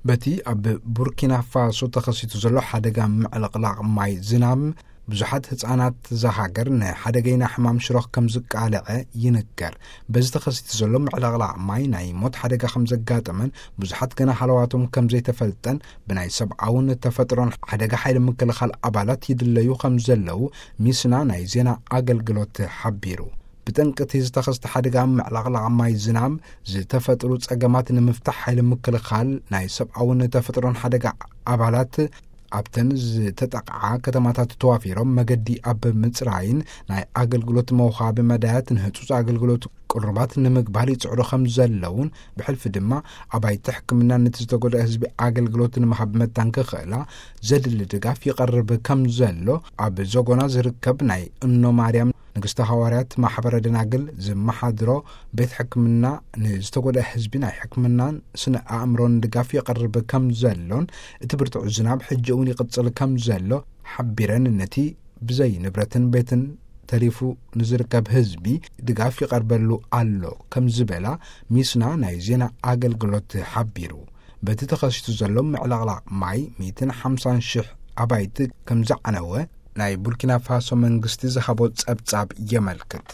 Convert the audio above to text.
በቲ ኣብ ቡርኪና ፋሶ ተኸሲቱ ዘሎ ሓደጋ ምዕልቕላቕ ማይ ዝናም፣ ብዙሓት ህጻናት እዛ ሃገር ንሓደገይና ሕማም ሽሮኽ ከም ዝቃልዐ ይንገር። በዚ ተኸሲቱ ዘሎ ምዕልቕላቕ ማይ ናይ ሞት ሓደጋ ከም ዘጋጠመን ብዙሓት ገና ሃለዋቶም ከም ዘይተፈልጠን ብናይ ሰብኣውን ተፈጥሮን ሓደጋ ሓይሊ ምክልኻል ኣባላት ይድለዩ ከም ዘለዉ ሚስና ናይ ዜና ኣገልግሎት ሓቢሩ። ብጠንቅቲ ዝተኸስተ ሓደጋ ምዕልቕላቕ ማይ ዝናም ዝተፈጥሩ ጸገማት ንምፍታሕ ሓይሊ ምክልኻል ናይ ሰብኣውን ተፈጥሮን ሓደጋ ኣባላት ኣብተን ዝተጠቕዓ ከተማታት ተዋፊሮም መገዲ ኣብ ምጽራይን ናይ ኣገልግሎት መውሃቢ መዳያት ንህጹጽ ኣገልግሎት ቅሩባት ንምግባር ይጽዕሩ ከም ዘለውን ብሕልፊ ድማ ኣባይቲ ሕክምና ነቲ ዝተጎድአ ህዝቢ ኣገልግሎት ንምሃብ መታን ክኽእላ ዘድሊ ድጋፍ ይቐርብ ከም ዘሎ ኣብ ዘጎና ዝርከብ ናይ እኖ ማርያም ንግስተ ሃዋርያት ማሕበረ ደናግል ዝመሓድሮ ቤት ሕክምና ንዝተጎድአ ህዝቢ ናይ ሕክምናን ስነ ኣእምሮን ድጋፍ ይቐርብ ከም ዘሎን እቲ ብርቱዕ ዝናብ ሕጂ እውን ይቕጽል ከም ዘሎ ሓቢረን ነቲ ብዘይ ንብረትን ቤትን ተሪፉ ንዝርከብ ህዝቢ ድጋፍ ይቐርበሉ ኣሎ ከም ዝበላ ሚስና ናይ ዜና ኣገልግሎት ሓቢሩ። በቲ ተኸሲቱ ዘሎ ምዕላቕላቕ ማይ ሚእትን ሓምሳን ሽሕ ኣባይቲ ከም ዘዓነወ ናይ ቡርኪና ፋሶ መንግስቲ ዝሃቦ ጸብጻብ የመልክት።